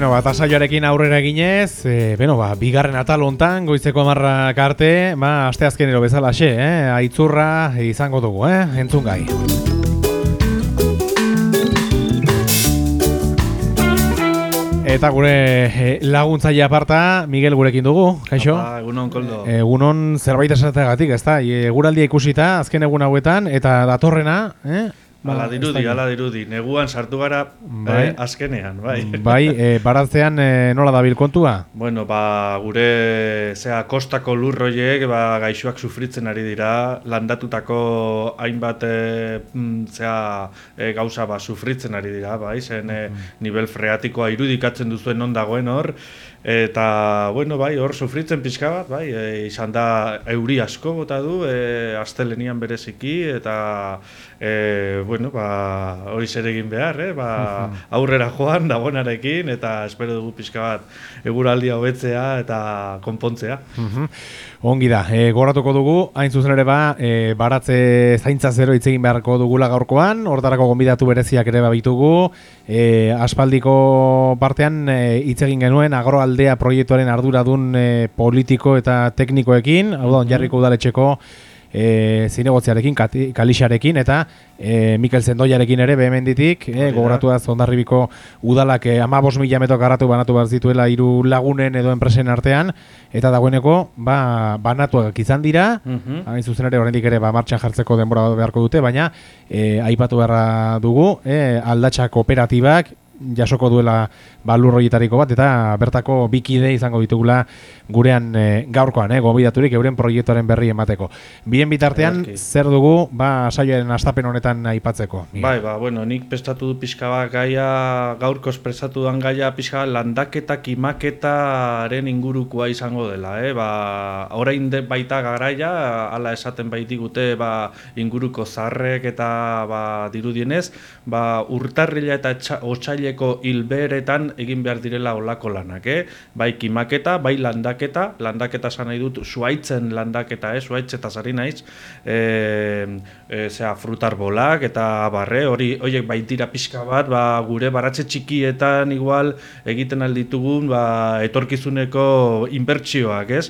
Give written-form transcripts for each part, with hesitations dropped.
Bueno, saioarekin aurrera eginez, bigarren atal hontan, goizeko 10 arte, asteazkenero bezalaxe, aitzurra izango dugu, entzun gai. Eta gure laguntzaile aparta, Miguel gurekin dugu, kaixo? Egunon, Koldo. Egunon zerbait esateagatik, ezta? Eguraldia ikusita, azken egun hauetan, eta datorrena, Ala dirudi, neguan sartu gara azkenean, bai. Baratzean nola dabil kontua? Bueno, gure kostako lurroiek gaixoak sufritzen ari dira, landatutako hainbat gauza sufritzen ari dira, bai, zen nivel freatikoa irudikatzen duzuen non dagoen hor, eta, hor sufritzen pixka bat, bai, izan da euri asko bota du, astelenian bereziki, eta hori zer egin behar, aurrera joan dagoenarekin, eta espero dugu pixka bat eguraldia hobetzea eta konpontzea. Ongi da, goratuko dugu, hain zuzen ere baratze zaintza zero hitz egin beharko dugula gaurkoan, hortarako gonbidatu bereziak ere babitugu, aspaldiko partean hitz egin genuen agroaldea proiektuaren arduradun politiko eta teknikoekin, hau da, Onjarriko udaletxeko zinegotziarekin, Kalixarekin eta Mikel Zendoiarekin ere behemenditik, gogoratu da Hondarribiko udalak 15.000 metro karratu banatu behar zituela 3 lagunen edo enpresen artean, eta dagoeneko banatuak izan dira, hain zuzen ere oraindik ere martxan jartzeko denbora beharko dute, baina aipatu beharra dugu, aldatxa kooperatibak jasoko duela lurroietariko bat, eta bertako bikide izango ditugula gurean gaurkoan, gonbidaturik euren proiektuaren berri emateko. Bien bitartean, zer dugu saioaren hastapen honetan aipatzeko? Nik prestatu du pixka bat gaia, gaurkoz prestatu duan gaia pixka landaketa, kimaketaren ingurukoa izango dela. Orain baita garaia, ala esaten baitigute inguruko zaharrek eta dirudienez, urtarrila eta otsaileko hilberetan egin behar direla olako lanak, bai kimaketa, bai landaketa esan nahi dut, zuaitzen landaketa, zuaitzetaz ari naiz, frutarbolak eta barre, horiek baitira pixka bat, gure baratze txikietan igual egiten alditugun etorkizuneko inbertsioak, ez?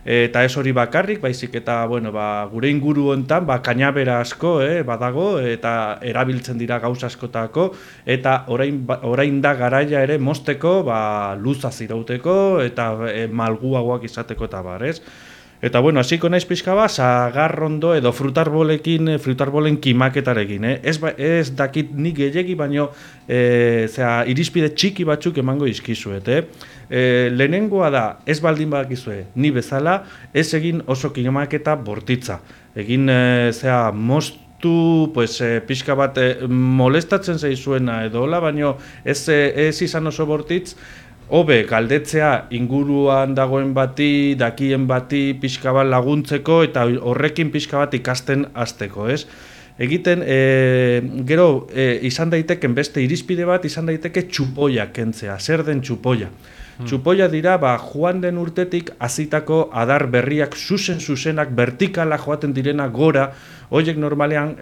Eta ez hori bakarrik, baizik eta gure inguru hontan kainabera asko badago eta erabiltzen dira gauza askotako, eta orain da garaia ere mozteko luza zirauteko eta malguagoak izateko eta bar, ez? Eta hasiko naiz pixka bat, sagarrondo edo frutarbolen kimaketarekin. Ez dakit nik gehiegi, baino irizpide txiki batzuk emango izkizuet. Lehenengoa da, ez baldin badakizue, ni bezala, ez egin oso kimaketa bortitza. Egin moztu, pixka bat molestatzen zaizuena edo hola, baino ez izan oso bortitz, hobe galdetzea inguruan dagoen bati, dakien bati pixka bat laguntzeko eta horrekin pixka bat ikasten hasteko, ez? Egiten, gero izan daiteken beste irizpide bat, izan daiteke txupoia kentzea. Zer den txupoia? Txupoia dira, joan den urtetik hazitako adar berriak zuzenak, vertikala joaten direna gora, horiek normalean,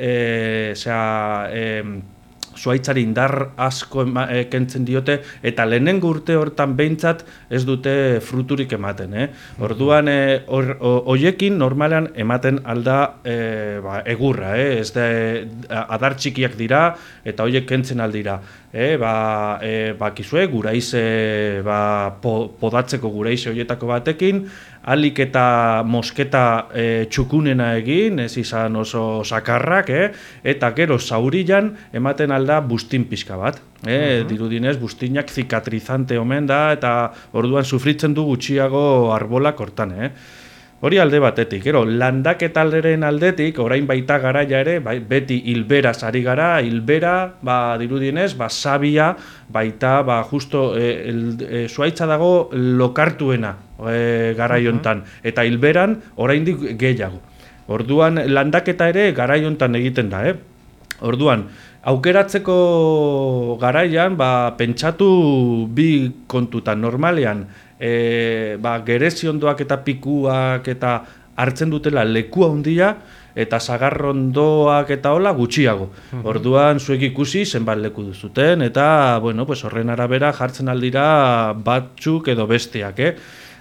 zuaitzari indar asko kentzen diote, eta lehenengo urte hortan behintzat ez dute fruturik ematen. Orduan, horiekin normalean ematen alda egurra, ez da adar txikiak dira, eta horiek kentzen aldira. Bakizue, guraize, podatzeko guraize horietako batekin, alik eta mosketa txukunena egin, ez izan oso sakarrak, eta gero zaurilan ematen alda bustin pixka bat. Dirudinez, bustinak zikatrizante omen da, eta orduan sufritzen du gutxiago arbolak hortan. Hori alde batetik, landaketalderen aldetik, orain baita garaia ere, beti hilberaz ari gara, hilbera, dirudienez, sabia, baita, justo, zuaitza dago lokartuena garaiontan, eta hilberan oraindik gehiago. Orduan, landaketa ere garaiontan egiten da, Orduan, aukeratzeko garaian, pentsatu bi kontutan normalean, gereziondoak eta pikuak eta hartzen dutela leku handia, eta sagarrondoak eta hola gutxiago. Orduan zuek ikusi zenbat leku duzuten eta bueno, pues horren arabera jartzen aldira batzuk edo besteak,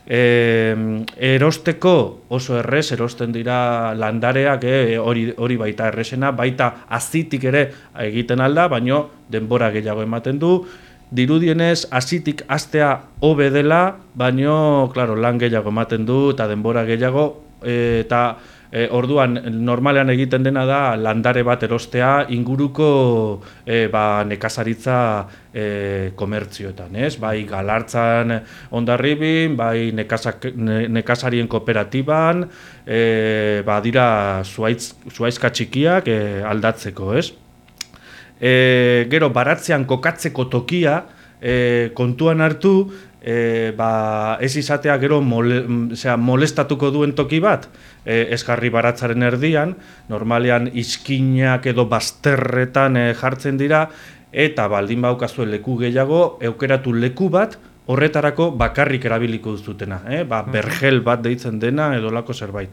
erosteko oso errez erosten dira landareak, hori baita errezena, baita azitik ere egiten alda, baino denbora gehiago ematen du. Dirudienez azitik hastea hobe dela, baino claro, lan gehiago ematen du eta denbora gehiago, eta orduan normalean egiten dena da landare bat erostea inguruko nekazaritza komertzioetan, ez? Bai Galartzan Hondarribin, bai nekazarien kooperatiban, dira zuhaizka txikiak aldatzeko, ez? Gero baratzean kokatzeko tokia kontuan hartu, ez izatea gero molestatuko duen toki bat, ez jarri baratzaren erdian, normalean izkinak edo bazterretan jartzen dira, eta baldin baukazue leku gehiago, aukeratu leku bat, horretarako bakarrik erabiliko duzutena, bergel bat deitzen dena edo lako zerbait.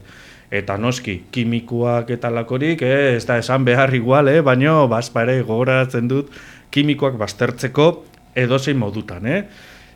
Eta noski, kimikoak eta lakorik, ez da esan behar igual, baino ere gogoratzen dut kimikoak baztertzeko edozein modutan.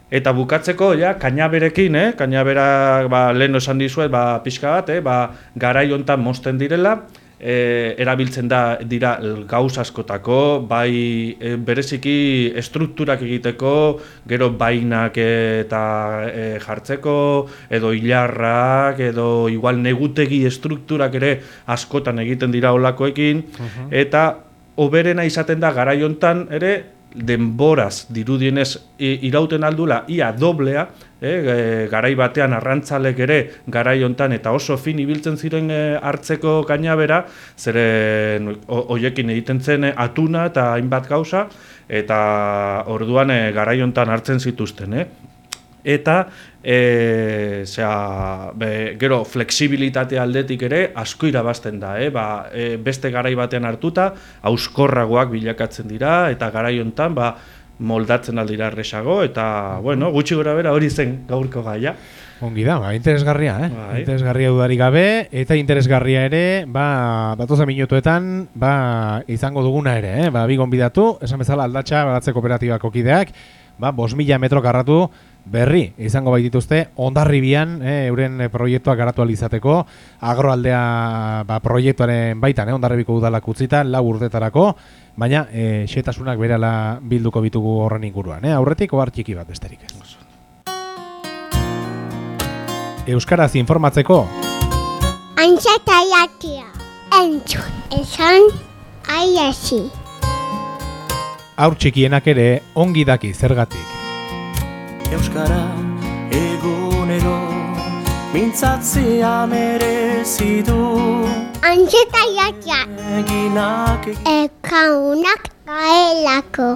Eta bukatzeko, kainaberekin, kainabera lehen esan dizuet pixka bat, garai hontan mozten direla, erabiltzen dira gauz askotako, bai bereziki estrukturak egiteko, gero bainak eta jartzeko, edo hilarrak, edo igual negutegi estrukturak ere askotan egiten dira holakoekin, eta hoberena izaten da garai hontan ere denboraz dirudienez irauten aldula ia doblea, garai batean arrantzalek ere garai hontan eta oso fin ibiltzen ziren hartzeko kainabera, zeren hoiekin egiten zen atuna eta hainbat gauza, eta orduan garai hontan hartzen zituzten. Eta gero flexibilitate aldetik ere asko irabazten da, beste garai batean hartuta hauskorragoak bilakatzen dira eta garai hontan moldatzen aldira erresago, eta bueno, gutxi gorabehera hori zen gaurko gaia. Ongi da, interesgarria, interesgarria dudarik gabe, eta interesgarria ere, datozen minutuetan, izango duguna ere, bi gonbidatu, esan bezala Aldatxa Baratze Kooperatibako kideak, 5.000 metro karratu berri izango baitituzte Hondarribian euren proiektuak garatu ahal izateko, agroaldea proiektuaren baitan, Hondarribiko udalak utzita 4 urtetarako, baina xetasunak berala bilduko bitugu horren inguruan. Aurretik ohar txiki bat besterik ez. Euskaraz informatzeko Antxataiatia entzun esan aiasi. Haur txikienak ere ongi daki zergatik. Euskara egunero mintzatzea merezi du. Antxataiatia Eginak ekaunak gaelako.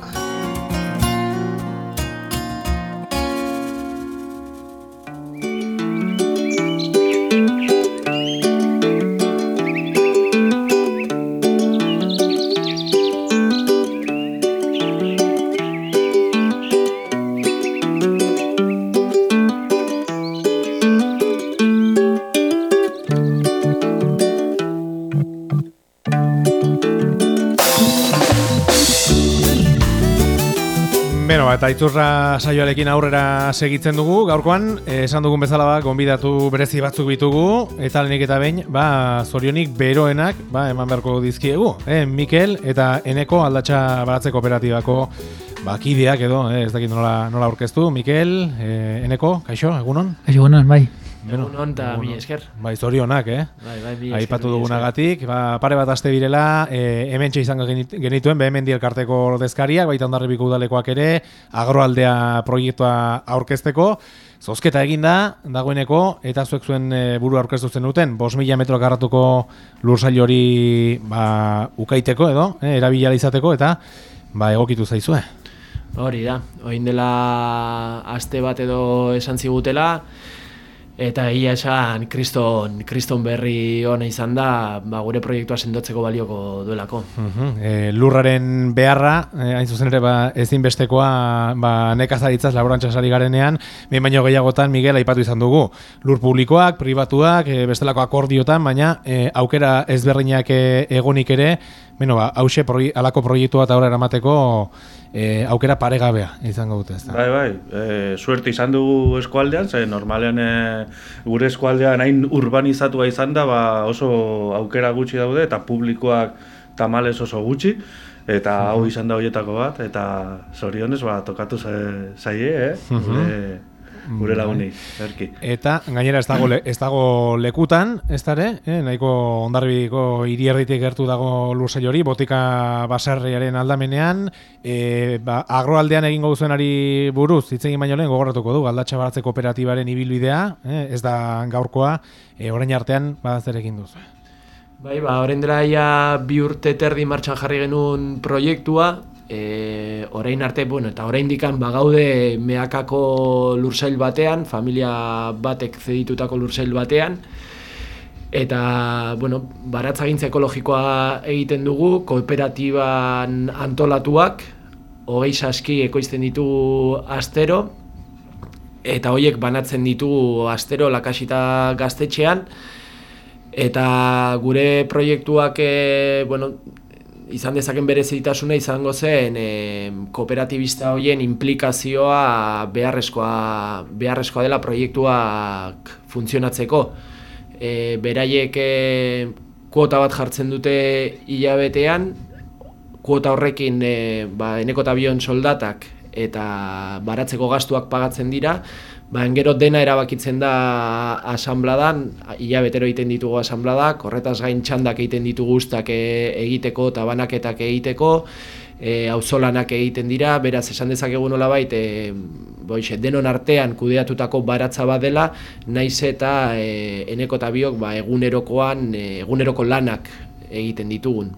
Eta itzurra saioarekin aurrera segitzen dugu, gaurkoan, esan dugun bezala gonbidatu berezi batzuk bitugu, eta lehenik eta behin, zorionik beroenak, eman beharko dizkiegu. Mikel eta Eneko Aldatxa Baratze Kooperatibako kideak edo, ez dakit nola aurkeztu. Mikel, Eneko, kaixo, egunon? Kaixo, egunon, bai. Egunon eta mi esker. Zorionak, aipatu dugunagatik. Pare bat aste direla, hementxe izango genituen, Behemendi elkarteko ordezkariak, baita Hondarribiko udalekoak ere, agroaldea proiektua aurkezteko. Zozketa eginda, dagoeneko, eta zuek zuen buru aurkeztu zen duten, 5.000 metro karratuko lursail hori ukaiteko edo, erabila izateko, eta egokitu zaizue. Hori da, orain dela aste bat edo esan zigutela, Eta egia esan kriston berri ona izan da, gure proiektua sendotzeko balioko duelako. Lurraren beharra, hain zuzen ere ezinbestekoa nekazaritzaz laborantzaz ari garenean, behin baino gehiagotan Miguel aipatu izan dugu. Lur publikoak, pribatuak, bestelako akordiotan, baina aukera ezberdinak egonik ere, hause alako proiektua eta horra eramateko aukera paregabea izango dute. Bai, suerte izan dugu eskualdean, ze normalean gure eskualdean hain urbanizatua izan da, oso aukera gutxi daude eta publikoak tamalez oso gutxi, eta hau izan da horietako bat, eta zorionez tokatu zaie, gure laguni, erki. Eta gainera ez dago lekutan, ez dare, nahiko Hondarribiko hirierditik gertu dago lursail hori, botika baserriaren aldamenean, agroaldean egingo duzenari buruz, hitz egin baino lehen gogoratuko du, Galdatxa Baratze Kooperatibaren ibilbidea, ez da gaurkoa, orain artean zer egin duzu. Bai, orain dela ja 2 urte terdi martxan jarri genuen proiektua, orain arte, eta orain dikan bagaude Meakako lursail batean, familia batek zeditutako lursail batean, eta, baratzagintza ekologikoa egiten dugu, kooperatiban antolatuak, 20 saski ekoizten ditu astero, eta horiek banatzen ditu astero Lakasita gaztetxean, eta gure proiektuak, izan dezaken berezitasuna izango zen kooperatibista horien implikazioa beharrezkoa dela proiektuak funtzionatzeko. Beraiek kuota bat jartzen dute hilabetean, kuota horrekin eneko eta bion soldatak eta baratzeko gastuak pagatzen dira, gero dena erabakitzen da asanbladan, hilabetero egiten ditugu asanbladak, horretaz gain txandak egiten ditugu guztak egiteko eta banaketak egiteko, auzolanak egiten dira, beraz esan dezakegu nolabait, denon artean kudeatutako baratza bat dela, naiz eta eneko eta biok eguneroko lanak egiten ditugun.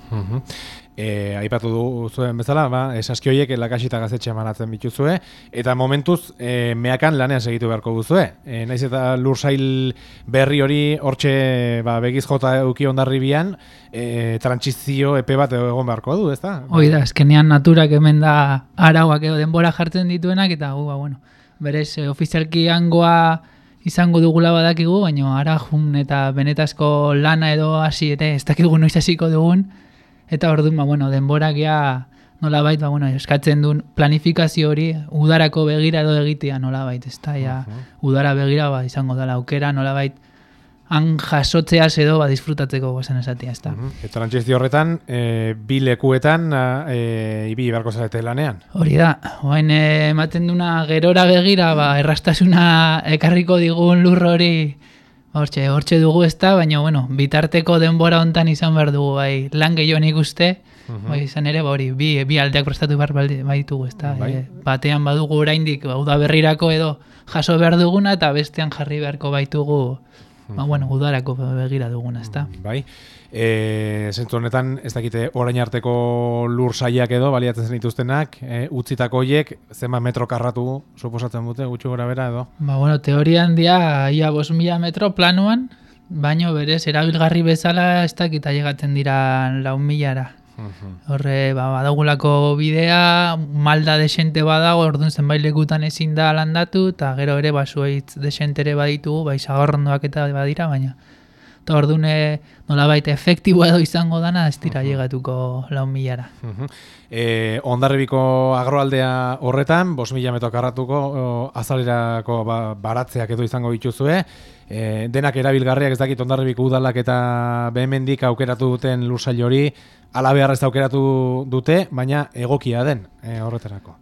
Aipatu zuen bezala, saski horiek Lakasita gaztetxean banatzen bituzue, eta momentuz Meakan lanean segitu beharko duzue. Naiz eta lursail berri hori hortxe begiz jota eduki Hondarribian, trantsizio epe bat egon beharko du, ezta? Hoi da, eskenean naturak hemen da arauak edo denbora jartzen dituenak, eta berez ofizialki hangoa izango dugula badakigu, baina arajun eta benetazko lana edo hasi ere ez dakigu noiz hasiko dugun. Eta orduan, denborak nolabait, eskatzen duen planifikazio hori udarako begira edo egitea nolabait, ez da, udara begira izango dela aukera nolabait han jasotzeaz edo disfrutatzeko gozen esatia, ez da. Eta trantsizio horretan, bi lekuetan ibili beharko zarete lanean? Hori da, ematen duna gerora begira, errastasuna ekarriko digun lur hori hortxe dugu ez da, baina bitarteko denbora hontan izan behar dugu lan gehioan ikuste, izan ere bi aldeak prestatu behar baitugu ez da. Batean badugu oraindik uda berrirako edo jaso behar duguna eta bestean jarri beharko baitugu udarako begira duguna ez da. Bai, zentzu honetan ez dakite orain arteko lur saiak edo baliatzen zen dituztenak, utzitako horiek zenbat metro karratu suposatzen dute gutxi gora bera edo? Teorian ia 5.000 metro planuan, baino berez erabilgarri bezala ez dakita llegatzen dira 4.000-ara. Horre, badagulako bidea, malda desente badago, orduan zenbait lekutan ezin da landatu, eta gero ere zuhaitz desentere baditugu, zagarrondoak eta badira, baina. Eta orduan nolabait efektiboa edo izango dana, ez dira llegatuko 4.000-ara. Hondarribiko agroaldea horretan, 5.000 metro karratuko azalerako baratzeak edo izango dituzue, denak erabilgarriak ez dakit Hondarribiko udalak eta behemendik aukeratu duten lursail hori, ala beharrez aukeratu dute, baina egokia den horretarako.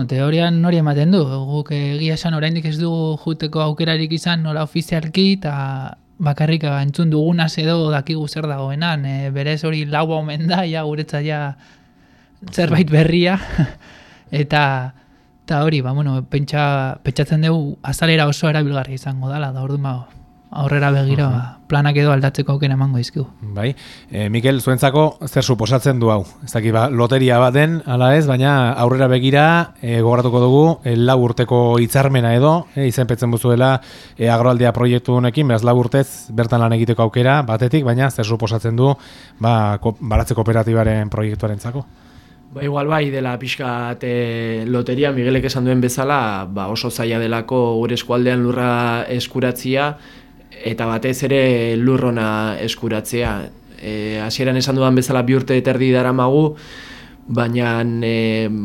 Teorian hori ematen du, guk egia esan oraindik ez dugu juteko aukerarik izan nola ofizialki, eta bakarrik entzun dugunaz edo dakigu zer dagoenan, berez hori laua omen da, guretzat zerbait berria, eta hori, pentsatzen dugu azalera oso erabilgarri izango dela, da orduan aurrera begira planak edo aldatzeko aukera emango dizkigu. Bai. Mikel, zuentzako zer suposatzen du hau? Ez dakit loteria bat den, ala ez, baina aurrera begira gogoratuko dugu 4 urteko hitzarmena edo, izenpetzen buzuela agroaldea proiektu honekin, beraz 4 urtez bertan lan egiteko aukera batetik, baina zer suposatzen du baratze kooperatibaren proiektuarentzako? Ba, igual bai dela pixkat loteria, Miguelek esan duen bezala, oso zaila delako gure eskualdean lurra eskuratzea, eta batez ere lurrona eskuratzea. Hasieran esan dudan bezala 2 urte eta erdi daramagu, baina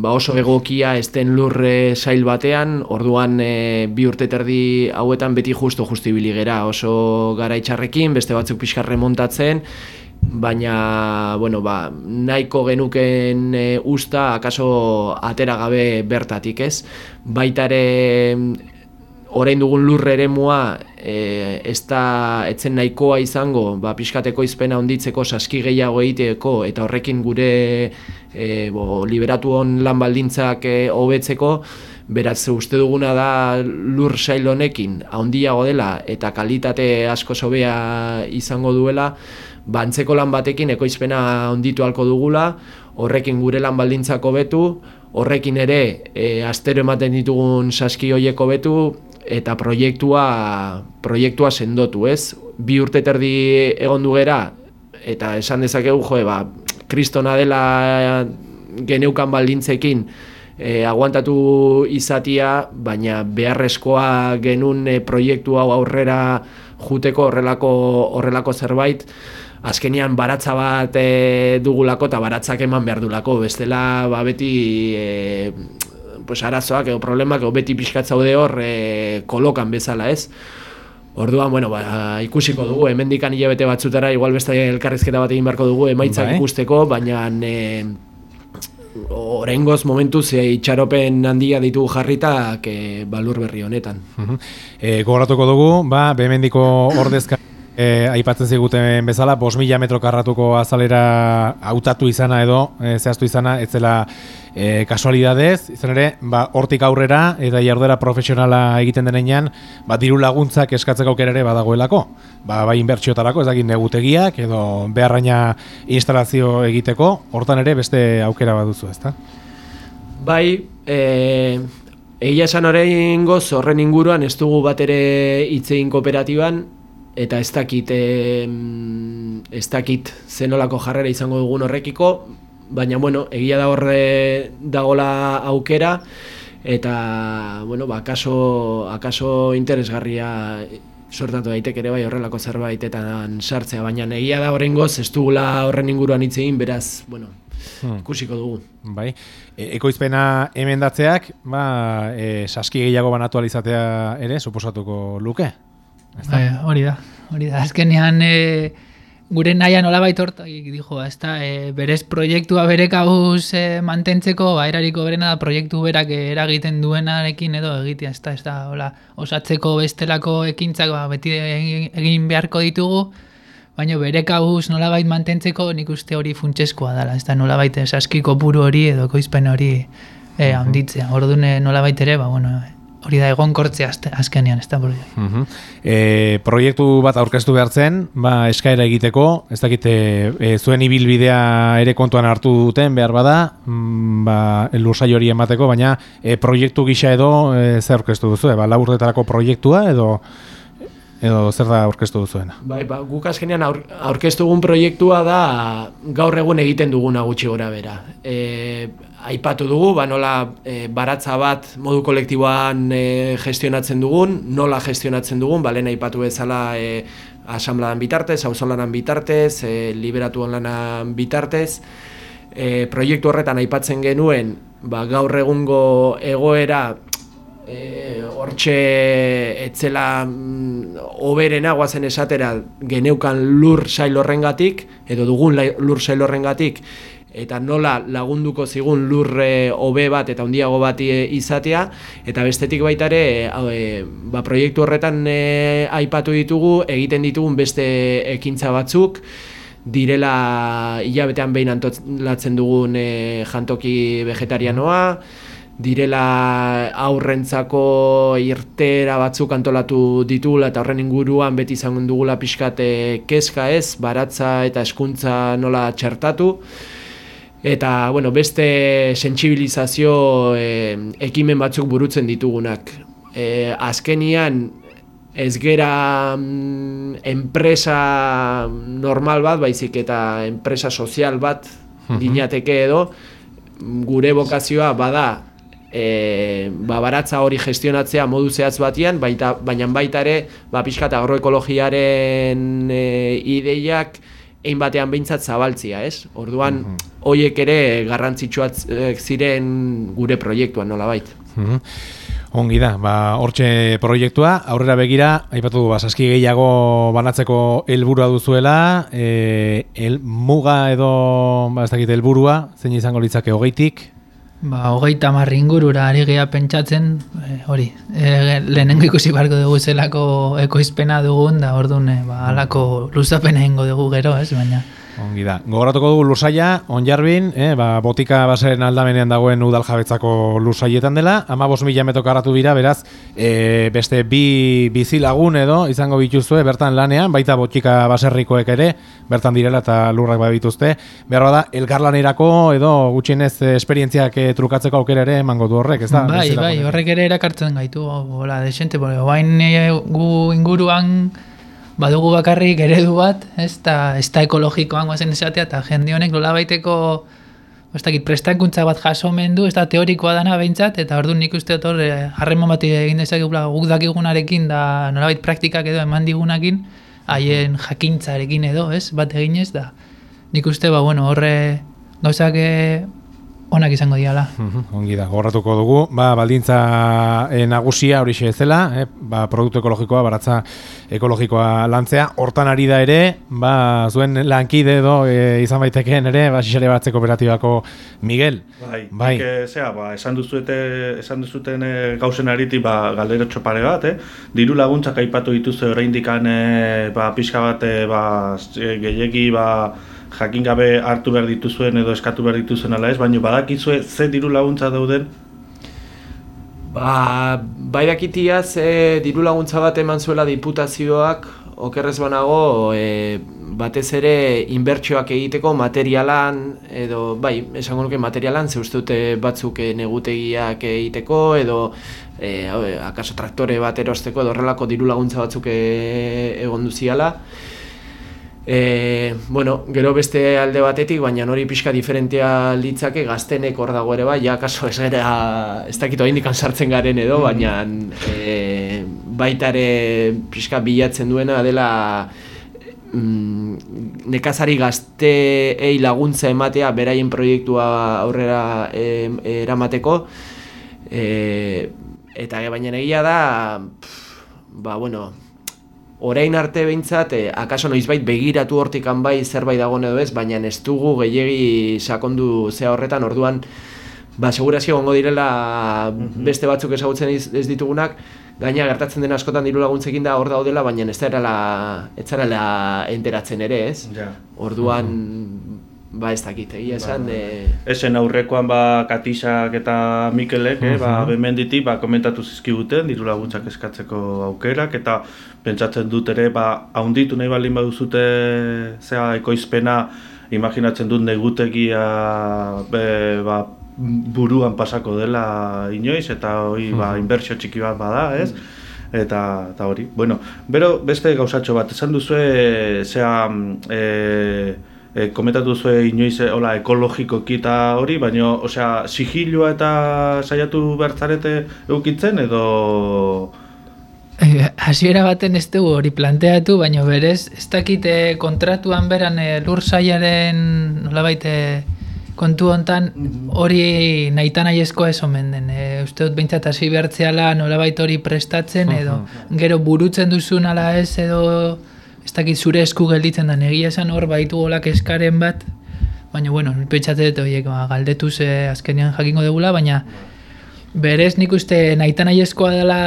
oso egokia ez den lurre sail batean, orduan 2 urte eta erdi hauetan beti justu ibili gera, oso garaitxarrekin, beste batzuk pixkat remontatzen, baina nahiko genuken usta akaso atera gabe bertatik, ez? Baita ere orain dugun lurre eremua etzen nahikoa izango, pixkateko izpena honditzeko, saski gehiago egiteko eta horrekin gure liberatu hon lan baldintzak hobetzeko, beraz uste duguna da lur sail honekin handiago dela eta kalitate asko hobea izango duela, antzeko lan batekin ekoizpena handitu halko dugula, horrekin gure lan baldintzak hobetu, horrekin ere astero ematen ditugun saski horiek hobetu eta proiektua sendotu, ez? 2 urte eta erdi egon du gera eta esan dezakegu kristona dela geneukan baldintzekin aguantatu izatia, baina beharrezkoa genuen proiektu hau aurrera juteko horrelako zerbait, azkenian baratza bat dugulako eta baratzak eman behar dulako, bestela beti arazoak edo problemak beti pixkat zaude hor kolokan bezala, ez? Orduan, ikusiko dugu, hemendikan hilabete batzutara, igual beste elkarrizketa bat egin beharko dugu emaitzak ikusteko, baina oraingoz momentuz itxaropen handia ditugu jarritak lur berri honetan. Gogoratuko dugu, behemendiko ordezka aipatzen ziguten bezala, 5.000 metro karratuko azalera hautatu izana edo zehaztu izana, ez zela kasualidadez, izan ere, hortik aurrera eta jarduera profesionala egiten denean, diru laguntzak eskatzeko aukera ere badagoelako. Bai inbertsiotarako, ez dakit negutegiak edo beharraina instalazio egiteko, hortan ere beste aukera baduzu, ezta? Bai, egia esan oraingoz horren inguruan ez dugu bat ere hitz egin kooperatiban, eta ez dakit zenolako jarrera izango dugun horrekiko, baina egia da horre dagola aukera, eta akaso interesgarria sortatu daiteke ere bai horrelako zerbaitetan sartzea, baina egia da oraingoz ez dugula horren inguruan hitz egin, beraz, ikusiko dugu. Bai, ekoizpena emendatzeak, saski gehiago banatu alizatea ere suposatuko luke? Hori da. Azkenean gure naia nolabait hortik dijo, berez proiektua bere kabuz mantentzeko, erariko berena da proiektu berak eragiten duenarekin edo egitea, osatzeko bestelako ekintzak beti egin beharko ditugu, baina bere kabuz nolabait mantentzeko nik uste hori funtsezkoa dela, nolabait saski kopuru hori edo ekoizpen hori handitzea. Orduan nolabait ere, hori da egonkortzea azkenean, ez da proiektu bat aurkeztu behar zen, eskaera egiteko, ez dakite zuen ibilbidea ere kontuan hartu duten behar bada, lursail hori emateko, baina proiektu gisa edo zer aurkeztu duzu, 4 urtetarako proiektua edo zer da aurkeztu duzuena? Guk azkenean aurkeztu dugun proiektua da gaur egun egiten duguna gutxi gora bera. Aipatu dugu, nola baratza bat modu kolektiboan gestionatzen dugun, nola gestionatzen dugun, lehen aipatu bezala asambladan bitartez, auzolanan bitartez, liberatu lanan bitartez. Proiektu horretan aipatzen genuen, gaur egungo egoera hortxe etzela oberena guazen esatera geneukan lur sail horrengatik, edo dugun lur sail horrengatik, eta nola lagunduko zigun lurre hobe bat eta handiago bat izatea, eta bestetik baita ere proiektu horretan aipatu ditugu, egiten ditugun beste ekintza batzuk, direla hilabetean behin antolatzen dugun jantoki vegetarianoa, direla aurrentzako irtera batzuk antolatu ditugula eta horren inguruan beti izan dugula pixkat kezka ez, baratza eta hezkuntza nola txertatu. Eta bueno, beste sentsibilizazio ekimen batzuk burutzen ditugunak. Azkenian ez gera enpresa normal bat, baizik eta enpresa sozial bat ginateke edo, gure bokazioa bada baratza hori gestionatzea modu zehatz batian, baina baita ere pixkat agroekologiaren ideiak ein batean behintzat zabaltzia, ez? Orduan, hoiek ere garrantzitsuak ziren gure proiektuan nolabait. Ongi da, hortxe proiektua, aurrera begira, aipatu du, saski gehiago banatzeko helburua duzuela, muga edo, ez dakit helburua, zein izango litzake 20tik? 30 ingurura ari geha pentsatzen, hori, lehenengo ikusi barko dugu zelako ekoizpena dugun, da orduan, alako luzapena ingo dugu gero, ez, baina. Ongi da. Gogoratuko dugu Lursaia, Onjarbin, botika basaren aldamenean dagoen udaljabetsako Lursaietan dela, 15.000 metro karratu dira, beraz, beste bi bizilagun edo izango bituzue bertan lanean, baita botika baserrikoek ere, bertan direla eta lurrak badituzte. Behar da, elkarlanerako edo gutxienez esperientziak trukatzeko aukera ere emango du horrek, ez da? Bai, horrek ere erakartzen gaitu, desente, bain gu inguruan badugu bakarrik eredu bat, ez da ekologikoan guazen esatea, eta jende honek nolabaiteko prestakuntza bat jasomen du, ez da teorikoa dana behintzat, eta orduan nik uste dut harreman bat egin dezakegula guk dakigunarekin, da nolabait praktikak edo eman digunakin, haien jakintzarekin edo, ez, bat eginez, da nik uste, horre gauzak onak izango diala. Ongi da, gogoratuko dugu. Baldintza nagusia horixe zela, produktu ekologikoa, baratza ekologikoa lantzea. Hortan ari da ere, zuen lankide edo izan baitekeen ere, Xixare Baratze Kooperatibako Miguel. Bai. Esan duzuten gauzen aritik galderotxo pare bat, diru laguntzak aipatu dituzte oraindikan pixka bat gehiegi jakin gabe hartu behar dituzuen edo eskatu behar dituzuen ala ez, baina badakizue ze diru laguntza dauden? Bai dakitia ze diru laguntza bat eman zuela diputazioak, okerrez banago, batez ere inbertsioak egiteko materialan, edo esango nuke materialan, ze uste dute batzuk negutegiak egiteko, edo akaso traktore bat erosteko, edo horrelako diru laguntza batzuk egon duziala. Gero beste alde batetik, baina hori pixka diferentea litzake, gaztenek hor dago ere kaso ez dakit oraindik sartzen garen edo, baina baita ere pixka bilatzen duena dela nekazari gazteei laguntza ematea beraien proiektua aurrera eramateko, eta baina egia da, orain arte behintzat, akaso noizbait begiratu hortikan bai zerbait dagoen edo ez, baina ez dugu gehiegi sakondu zea horretan, orduan segurazio gongo direla beste batzuk ezagutzen ez ditugunak, gaina gertatzen dena askotan diru laguntzekin da hor daudela, baina ez zarela enteratzen ere, ez? Orduan, ez dakit, egia esan... Ezen aurrekoan Katisak eta Mikelek, bemenditik komentatu zizkiguten diru laguntzak eskatzeko aukerak, eta pentsatzen dut ere, haunditu nahi baldin baduzute zea ekoizpena, imaginatzen dut negutegia buruan pasako dela inoiz, eta hori inbertsio txiki bat bada, ez? Eta hori, bero beste gauzatxo bat, esan duzue zea... komentatu zuen inoiz ekologikoki eta hori, baina sigilua eta saiatu bertzarete eukitzen edo... Hasiera baten ez dugu hori planteatu, baina berez, ez dakite kontratuan beran Lursaiaren nolabait kontu hontan hori nahita nahiezkoa ez omen den. Uste dut behintzat hasi behartzeala nolabait hori prestatzen edo gero burutzen duzun ala ez edo ez dakit zure esku gelditzen da, egia esan hor baitu golak eskaren bat, baina, pentsate dut horiek galdetuz azkenean jakingo degula, baina berez nik uste nahita nahiezkoa dela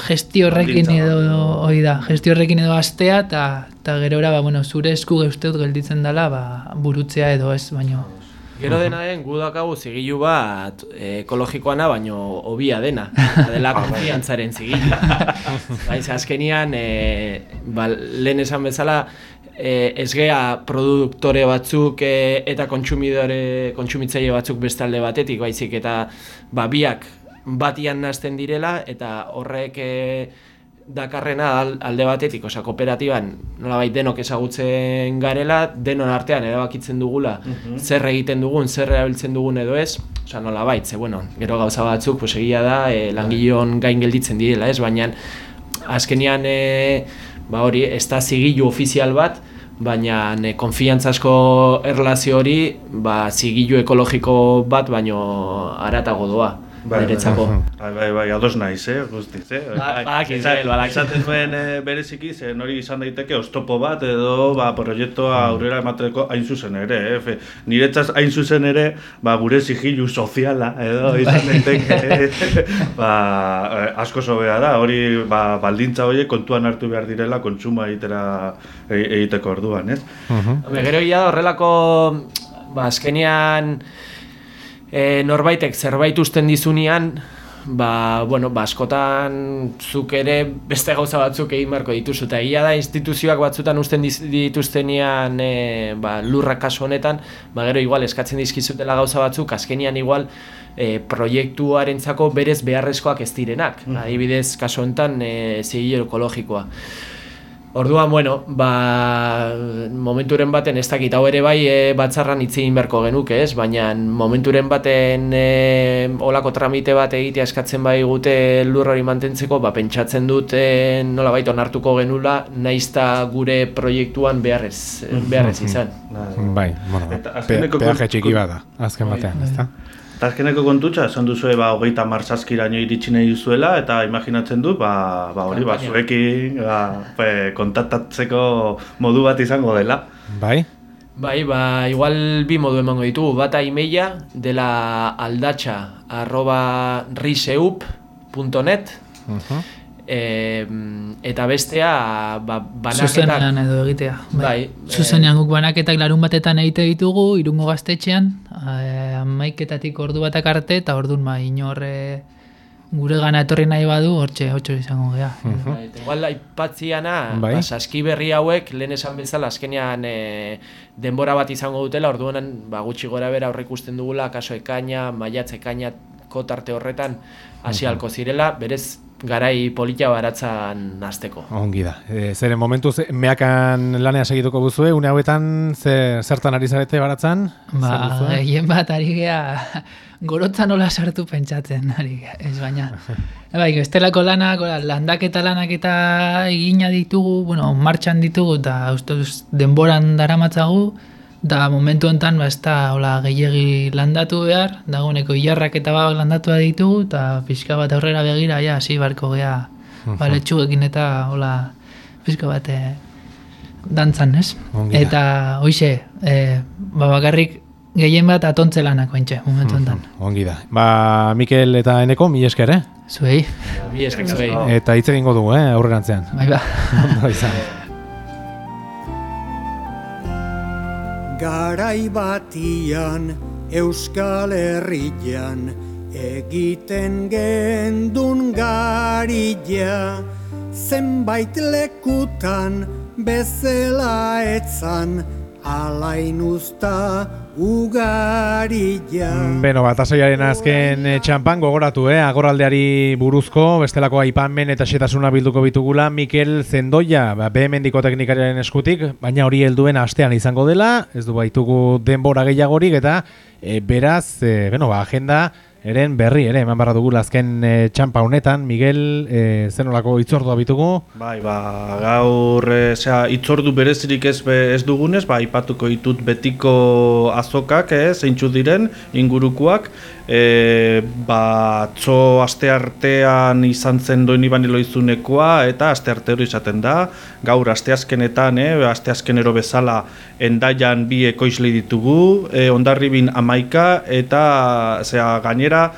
gestio horrekin edo astea, eta gerora, zure esku uste dut gelditzen dela burutzea edo ez, baina... Gero dena den, gu dakagu zigilu bat ekologikoana, baino hobia dena. Dela konfiantzaren zigilu. Baiz, azkenian, lehen esan bezala, ez gea produktore batzuk eta kontsumitzaile batzuk beste alde batetik, baizik eta biak batian nazten direla, eta horrek dakarrena alde batetik, osea, kooperatiban nolabait denok ezagutzen garela, denon artean erabakitzen dugula zer egiten dugun, zer erabiltzen dugun edo ez, osea, nolabait, gero gauza batzuk, pues egia da, langileon gain gelditzen direla, ez, baina azkenean hori, ez da zigilu ofizial bat, baina konfiantzazko erlazio hori, zigilu ekologiko bat, baino haratago doa. Niretzako. Bai, ados naiz, guztiz, Esaten zuen bereziki, zen hori izan daiteke oztopo bat edo proiektua aurrera emateko hain zuzen ere, Niretzaz hain zuzen ere, gure sigilu soziala edo izan daiteke, asko hobea da, hori baldintza horiek kontuan hartu behar direla kontsuma egiteko orduan, ez? Gero egia da horrelako, azkenean, norbaitek zerbait usten dizunean, askotan zuk ere beste gauza batzuk egin beharko dituzu, eta egia da instituzioak batzutan usten dituztenean lurrak kasu honetan, gero igual eskatzen dizkizutela gauza batzuk, azkenian igual proiektuarentzako berez beharrezkoak ez direnak, adibidez kasu honetan zigilu ekologikoa. Orduan, momenturen baten ez dakit, hau ere bai batzarran hitz egin beharko genuke, ez? Baina momenturen baten olako tramite bat egitea eskatzen bai gute lur hori mantentzeko, pentsatzen dut nolabait onartuko genula, naizta gure proiektuan beharrez izan. Bai, peaje txiki bada, azken batean, ezta? Eta azkeneko kontutxa, esan duzue 30 zazkiraino iritsi nahi duzuela, eta imaginatzen dut, hori, zuekin kontaktatzeko modu bat izango dela. Bai? Bai, igual bi modu emango ditugu. Bata emaila dela aldatxa@riseup.net eta bestea banaketak... Zuzenean edo egitea. Bai. Zuzenean guk banaketak larun batetan egite ditugu, Irungo Gaztetxean, 11:00 ordu batak arte, eta orduan inor gure gana etorri nahi badu, hortxe izango gea. Igual aipatziana, saski berri hauek, lehen esan bezala, azkenean denbora bat izango dutela, orduan gutxi gora bera aurre ikusten dugula, kaso ekaina, maiatz ekainako tarte horretan hasi halko zirela, berez garai polita baratzan hasteko. Ongi da. Zeren momentuz meakan lanea segituko buzue, une hauetan zertan ari zarete baratzan? Gehien bat ari gea gorotzan nola sartu pentsatzen ari gea, ez baina. Bestelako lanak, landaketa lanak eta egina ditugu, martxan ditugu eta denboran daramatzagu, da momentu honetan ez da gehiegi landatu behar, dagoeneko ilarrak eta landatu ditugu, eta pixka bat aurrera begira, hasi barko gea letxugekin eta pixka bat dantzan, ez? Eta hoize, bakarrik gehien bat atontze lanak ointxe, momentu honetan. Ongi da. Mikel eta Eneko, mila esker, Zuei. Mila esker zuei. Eta hitz egingo dugu, aurrerantzean. Ondo izan. Garai batian Euskal Herrian egiten gendun garila, zenbait lekutan bezala etzan alain usta ugarila. Beno, atasoiaren azken txampan gogoratu, agorraldeari buruzko, bestelako aipamen eta xetasuna bilduko bitugula, Mikel Zendoia, behemendiko teknikariaren eskutik, baina hori helduen astean izango dela, ez du baitugu denbora gehiagorik, eta beraz, agenda eren berri, eman barra dugula azken txampa honetan. Miguel, zenolako itzordua bitugu? Bai, gaur itzordu berezirik ez dugunez, aipatuko ditut betiko azokak, zeintzu diren, ingurukoak. Atzo asteartean izan zen Doini Baniloizunekoa, eta asteartero izaten da. Gaur asteazkenetan, asteazkenero bezala Endaian 2 ekoizle ditugu, Hondarribin 11, eta gainera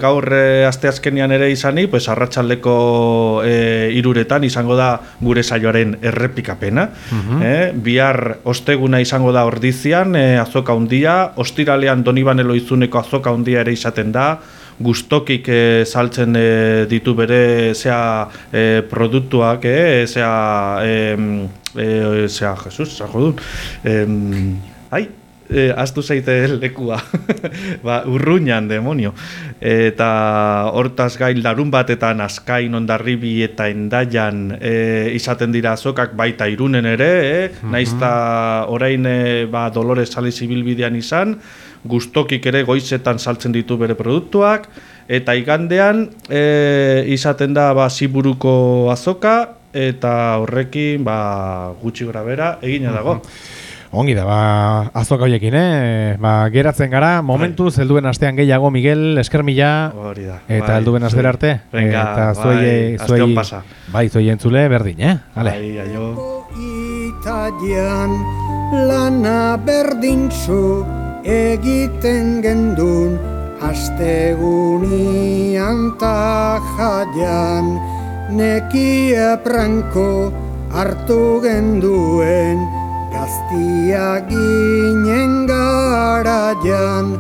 gaur asteazkenean ere izani, pues arratsaldeko 3 izango da gure saioaren errepikapena. Bihar osteguna izango da Ordizian, azoka handia, ostiralean Donibane Loizuneko azoka handia ere izaten da. Gustokik saltzen ditu bere produktuak, Jesus, jodun. Aztu zaite lekua, Urruñan, demonio. Eta hortaz gain larun batetan Azkain, Hondarribi eta Endaian izaten dira azokak, baita Irunen ere, naizta orain Dolores Sales ibilbidean izan, Gustokik ere goizetan saltzen ditu bere produktuak, eta igandean izaten da Ziburuko azoka, eta horrekin gutxi gora bera egina dago. Ongi da, azoka horiekin, geratzen gara, momentuz, helduen astean gehiago, Miguel, esker mila, eta helduen astera arte. Venga, aste hon pasa. Zuei entzule, berdin, Bai, aio. Italian lana berdintxu egiten gendun, astegunian ta jaian, nekia pranko hartu genduen, gaztia ginen garaian,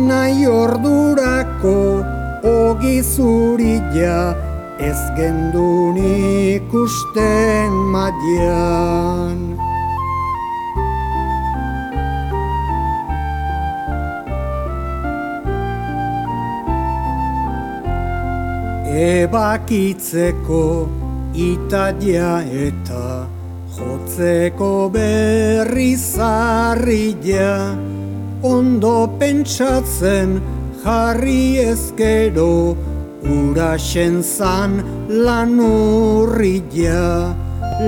nahi ordurako ogi zurila, ez gendun ikusten maian. Ebakitzeko Italia eta jotzeko berri zarrila, ondo pentsatzen jarri ezkero, uraxen zan lan urrila.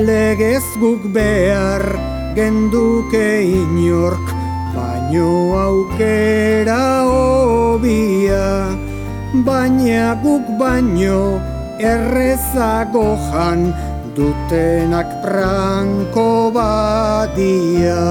Legez guk behar genduke inork, baino aukera hobia, baina guk baino errezago jan, dutenak pranko badia.